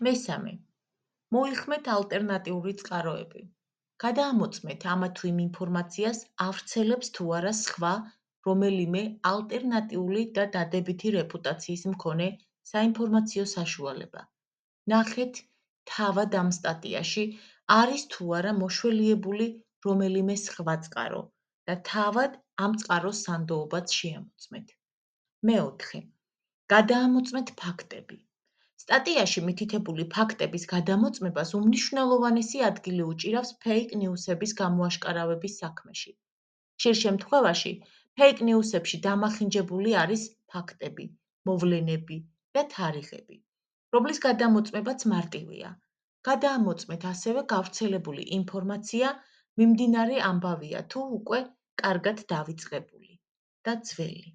მესამე. მოიხმეთ ალტერნატიული წყაროები. გადაამოწმეთ ამა თუ იმ ინფორმაციას ავრცელებს თუ არა სხვა, რომელიმე ალტერნატიული და დადებითი რეპუტაციის მქონე საინფორმაციო საშუალება. ნახეთ თავად ამ სტატიაში არის თუ არა მოშველიებული რომელიმე სხვა წყარო და თავად ამ წყაროს სანდოობაც შეამოწმეთ. მეოთხე. გადაამოწმეთ ფაქტები. სტატიაში მითითებული ფაქტების გადამოწმებას უმნიშვნელოვანესი ადგილი უჭირავს ფეიქ ნიუსების გამოაშკარავების საქმეში. ხშირ შემთხვევაში ფეიქ ნიუსებში დამახინჯებული არის ფაქტები, მოვლენები და თარიღები, რომლის გადამოწმებაც მარტივია. გადაამოწმეთ ასევე გავრცელებული ინფორმაცია მიმდინარე ამბავია თუ უკვე კარგად დავიწყებული და ძველი.